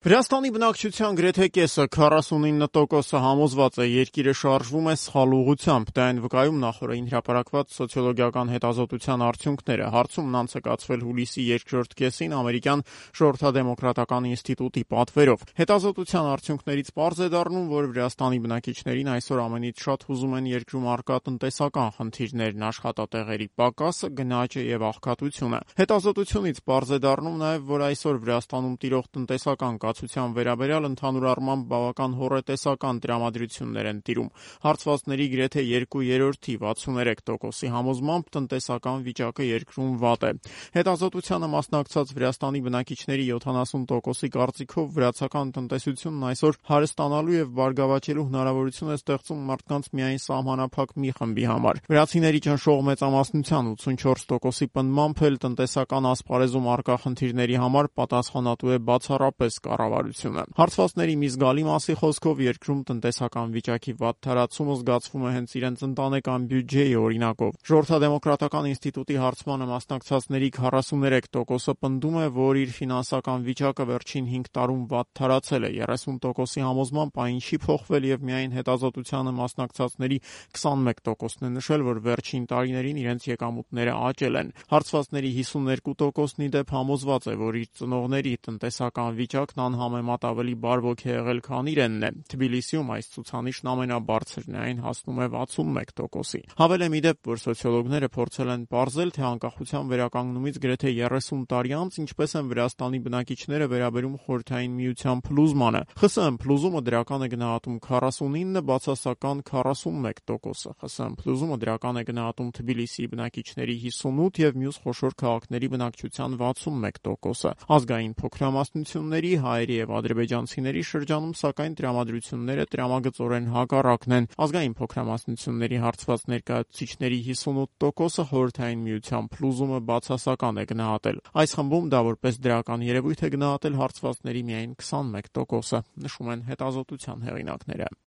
Վրաստանի բնակչության գրեթե կեսը 49% համոզված է երկիրը շարժվում է սխալ ուղղությամբ, դա են վկայում նախօրեին հրապարակված սոցիոլոգիական հետազոտության արդյունքները։ Հարցումն անցկացվել հուլիսի երկրորդ կեսին ամերիկյան ժողովրդադեմոկրատական ինստիտուտի պատվերով։ Հետազոտության արդյունքներից պարզ է դառնում, որ Վրաստանի բնակիչներին այսօր ամենից շատ հուզում են երկրում առկա տնտեսական խնդիրներն, աշխատատեղերի պակասը, գնաճը եւ աղքատությունը։ Հետազոտությունից պարզ է դառնում նաեւ, որ այսօր Վրաստանում տիրող տնտեսական կացության վերաբերյալ ընդհանուր առմամբ բավական հոռետեսական տրամադրություններ են տիրում։ Հարցվածների գրեթե 2/3-ի 63%-ի համոզմամբ տնտեսական վիճակը երկրում վատ է։ Հետազոտությանը մասնակցած Վրաստանի բնակիչների 70%-ի կարծիքով վրացական տնտեսությունն այսօր հարստանալու եւ բարգավաճելու հնարավորություն է ստեղծում մարդկանց միայն սահմանափակ մի խմբի համար։ Վրացիների ճնշող մեծամասնության 84%-ի պնդմամբ էլ տնտեսական ասպարեզում առկա խնդիրների համար պատասխանատու է բացառապես կառավարությունը։ Հարցվածների մի զգալի մասի խոսքով երկրում տնտեսական վիճակի վատ թարացումը զգացվում է հենց իրենց ընտանեկան բյուջեի օրինակով։ Ժողովրդադեմոկրատական ինստիտուտի հարցմանը մասնակցածների 43%-ը պնդում է, որ իր ֆինանսական վիճակը վերջին 5 տարում վատ թարացել է, 30%-ի համոզմամբ այն չի փոխվել եւ միայն հետազոտությանը մասնակցածների 21%-ն է նշել, որ վերջին տարիներին իրենց եկամուտները աճել են։ Հարցվածների 52%-ն ի դեպ համոզված է, որ իր ծնողների տնտեսական վիճակն անհամեմատ ավելի բարվոք է եղել, քան իրենն է։ Թբիլիսիում այս ցուցանիշն ամենաբարձրն է, այն հասնում է 61%-ի։ Հավելեմ ի դեպ, որ սոցիոլոգները փորձել են պարզել, թե անկախության վերականգնումից գրեթե 30 տարի անց ինչպես են Վրաստանի բնակիչները վերաբերում Խորհրդային Միության փլուզմանը։ ԽՍՀՄ փլուզումը դրական է գնահատում 49, բացասական 41%-ը։ ԽՍՀՄ փլուզումը դրական է գնահատում Թբիլիսիի բնակիչների 58 եւ մյուս խոշոր քաղաքների բնակչության 61%-ը։ Ազգային փոքրամասնությունների, հայերի եւ ադրբեջանցիների շրջանում սակայն տրամադրությունները տրամագծորեն հակառակն են։ Ազգային փոքրամասնությունների հարցված ներկայացուցիչների 58%-ը Խորհրդային Միության փլուզումը բացասական է գնահատել։ Այս խմբում դա որպես դրական երևույթ է գնահատել հարցվածների միայն 21%-ը, նշում են հետազոտության հեղինակները։